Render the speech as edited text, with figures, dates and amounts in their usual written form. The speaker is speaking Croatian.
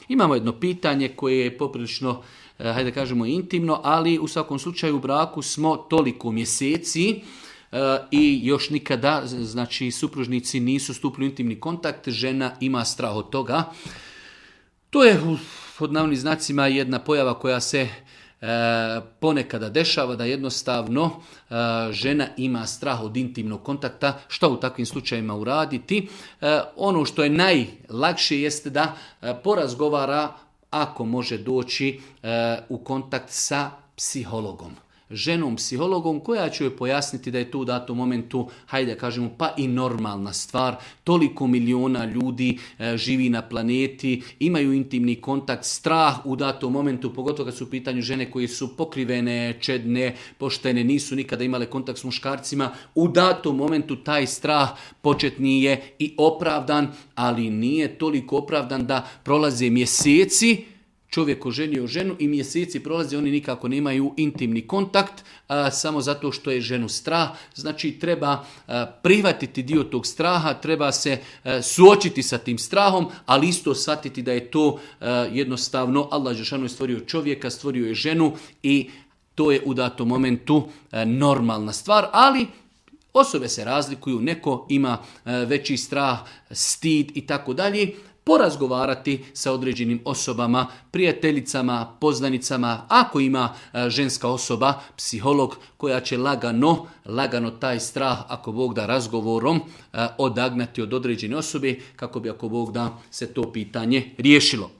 Imamo jedno pitanje koje je poprilično, hajde kažemo, intimno, ali u svakom slučaju u braku smo toliko mjeseci i još nikada, znači supružnici nisu stupili u intimni kontakt, žena ima strah od toga. To je pod navodnim znacima jedna pojava koja se ponekada dešava, da jednostavno žena ima strah od intimnog kontakta. Što u takvim slučajevima uraditi? Ono što je najlakše jeste da porazgovara, ako može doći u kontakt sa psihologom. Ženom psihologom koja će joj pojasniti da je to u datom momentu, hajde kažemo, pa i normalna stvar. Toliko miliona ljudi živi na planeti, imaju intimni kontakt, strah u datom momentu, pogotovo kad su u pitanju žene koje su pokrivene, čedne, poštene, nisu nikada imale kontakt s muškarcima. U datom momentu taj strah početni je i opravdan, ali nije toliko opravdan da prolaze mjeseci, čovjek oženio ženu i mjeseci prolaze, oni nikako nemaju intimni kontakt, samo zato što je ženu strah. Znači treba prihvatiti dio tog straha, treba se suočiti sa tim strahom, ali isto shvatiti da je to jednostavno, Allah dželešanu je stvorio čovjeka, stvorio je ženu i to je u datom momentu normalna stvar, ali osobe se razlikuju, neko ima veći strah, stid i tako dalje. Porazgovarati sa određenim osobama, prijateljicama, poznanicama, ako ima ženska osoba, psiholog koja će lagano taj strah, ako Bog da, razgovorom odagnati od određene osobe, kako bi, ako Bog da, se to pitanje riješilo.